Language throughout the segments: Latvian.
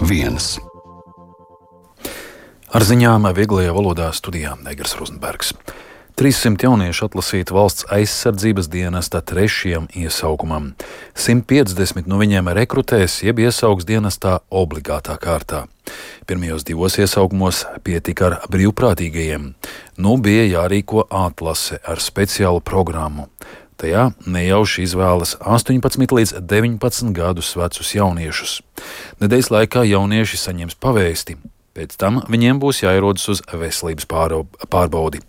1. Ar ziņām vieglajā valodā studijā Negras Rozenbergs. 300 jaunieši atlasīti valsts aizsardzības dienesta 3. iesaukumam. 150 no viņiem rekrutēs jeb iesaugs dienestā obligātā kārtā. Pirmajos 2 iesaukumos pietika ar brīvprātīgajiem. Bija jārīko atlase ar speciālu programmu. Tajā nejauši izvēlas 18 līdz 19 gadus vecus jauniešus. Nedēļas laikā jaunieši saņems pavēsti. Pēc tam viņiem būs jāierodas uz veselības pārbaudi.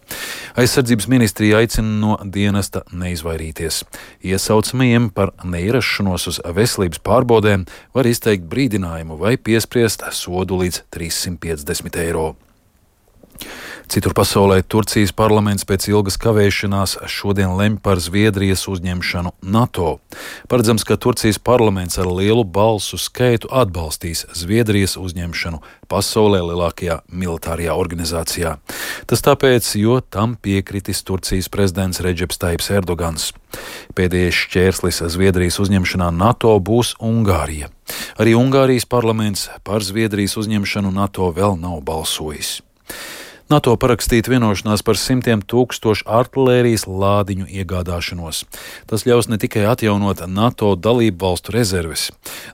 Aizsardzības ministrija aicina no dienesta neizvairīties. Iesaucamajiem par neierašanos uz veselības pārbaudēm var izteikt brīdinājumu vai piespriest sodu līdz 350 eiro. Citur pasaulē Turcijas parlaments pēc ilgas kavēšanās šodien lemj par Zviedrijas uzņemšanu NATO. Paredzams, ka Turcijas parlaments ar lielu balsu skaitu atbalstīs Zviedrijas uzņemšanu pasaulē lielākajā militārajā organizācijā. Tas tāpēc, jo tam piekritis Turcijas prezidents Redžeps Tajibs Erdogans. Pēdējais šķērslis Zviedrijas uzņemšanā NATO būs Ungārija. Arī Ungārijas parlaments par Zviedrijas uzņemšanu NATO vēl nav balsojis. NATO parakstīt vienošanās par 100 000 artilērijas lādiņu iegādāšanos. Tas ļaus ne tikai atjaunot NATO dalību valstu rezerves.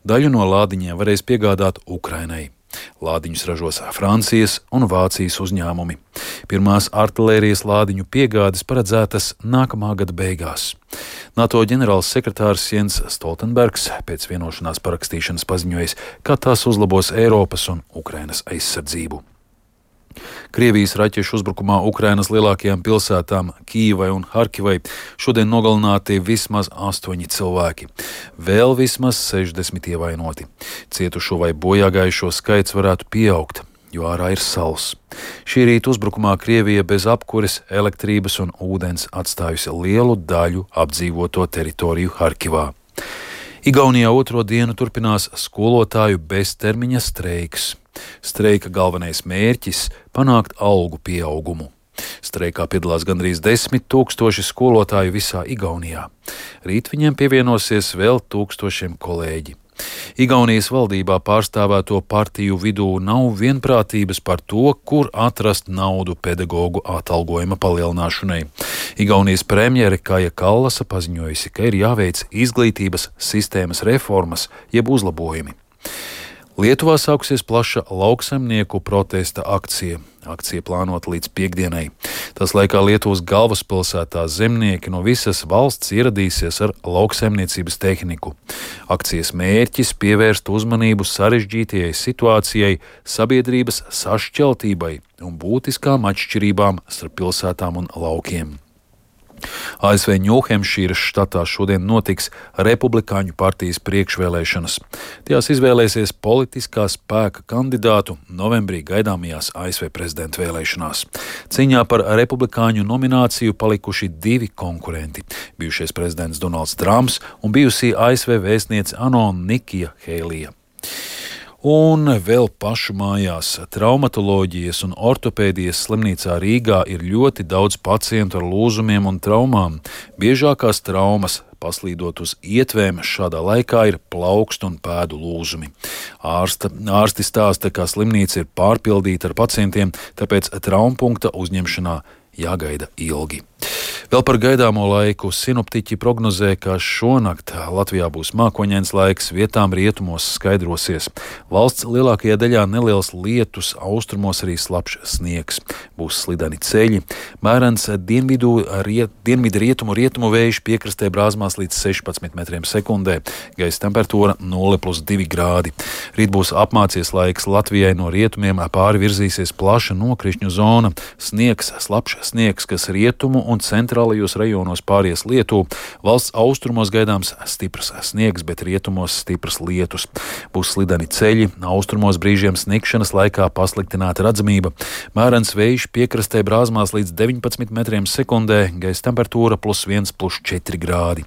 Daļu no lādiņiem varēs piegādāt Ukrainai. Lādiņus ražos Francijas un Vācijas uzņēmumi. Pirmās artilērijas lādiņu piegādes paredzētas nākamā gada beigās. NATO ģenerāls sekretārs Jens Stoltenbergs pēc vienošanās parakstīšanas paziņojis, ka tās uzlabos Eiropas un Ukrainas aizsardzību. Krievijas raķešu uzbrukumā Ukrainas lielākajām pilsētām Kijivai un Harkivai šodien nogalināti vismaz 8 cilvēki. Vēl vismaz 60 ievainoti. Cietušo vai bojāgājušo skaits varētu pieaugt, jo ārā ir sals. Šī rīta uzbrukumā Krievija bez apkures, elektrības un ūdens atstājusi lielu daļu apdzīvoto teritoriju Harkivā. Igaunijā 2. dienu turpinās skolotāju beztermiņa streiks. Streika galvenais mērķis – panākt algu pieaugumu. Streikā piedalās gandrīz 10 000 skolotāju visā Igaunijā. Rīt viņiem pievienosies vēl tūkstošiem kolēģi. Igaunijas valdībā pārstāvēto partiju vidū nav vienprātības par to, kur atrast naudu pedagogu atalgojuma palielināšanai. Igaunijas premjere Kaja Kallasa paziņojusi, ka ir jāveic izglītības sistēmas reformas jeb uzlabojumi. Lietuvā sākusies plaša lauksaimnieku protesta akcija. Akcija plānota līdz piekdienai. Tas laikā Lietuvas galvaspilsētā zemnieki no visas valsts ieradīsies ar lauksaimniecības tehniku. Akcijas mērķis pievērst uzmanību sarežģītajai situācijai, sabiedrības sašķeltībai un būtiskām atšķirībām starp pilsētām un laukiem. ASV Ņūhempšīras štatā šodien notiks Republikāņu partijas priekšvēlēšanas. Tajās izvēlēsies politiskā spēka kandidātu novembrī gaidāmajās ASV prezidenta vēlēšanās. Cīņā par Republikāņu nomināciju palikuši 2 konkurenti – bijušais prezidents Donalds Trumps un bijusī ASV vēstniece ANO Nikija Heilija. Un vēl pašu mājās traumatoloģijas un ortopēdijas slimnīcā Rīgā ir ļoti daudz pacientu ar lūzumiem un traumām. Biežākās traumas paslīdot uz ietvēm šādā laikā ir plaukstu un pēdu lūzumi. Ārsti stāsta, ka slimnīca ir pārpildīta ar pacientiem, tāpēc traumpunkta uzņemšanā jāgaida ilgi. Vēl par gaidāmo laiku sinoptiķi prognozē, ka šonakt Latvijā būs mākoņains laiks, vietām rietumos skaidrosies. Valsts lielākajā daļā neliels lietus, austrumos arī slapjš sniegs. Būs slideni ceļi. Mērens dienvidu rietumu vējš piekrastē brāzmās līdz 16 metriem sekundē. Gaisa temperatūra 0+2 grādi. Rīt būs apmācies laiks Latvijai, no rietumiem pāri virzīsies plaša nokrišņu zona. Sniegs, slapjš sniegs, kas rietumu un centrālajos rajonos pāries Lietuvu. Valsts austrumos gaidāms stiprs sniegs, bet rietumos stiprs lietus. Būs slideni ceļi, austrumos brīžiem snikšanas laikā pasliktināta redzamība. Mērens vējš piekrastē brāzmās līdz 19 metriem sekundē, gaisa temperatūra +1+4 grādi.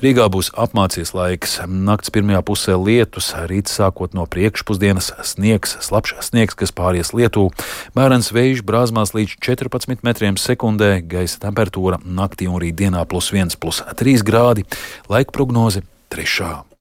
Rīgā būs apmācies laiks, nakts pirmajā pusē lietus, rīts sākot no priekšpusdienas sniegs, slapjš sniegs, kas pāries Lietuvu. Mērens vējš brāzmās līdz 14 metriem sekundē, gaisa temperatūra naktī un rītdienā +1+3 grādi, laika prognoze 3.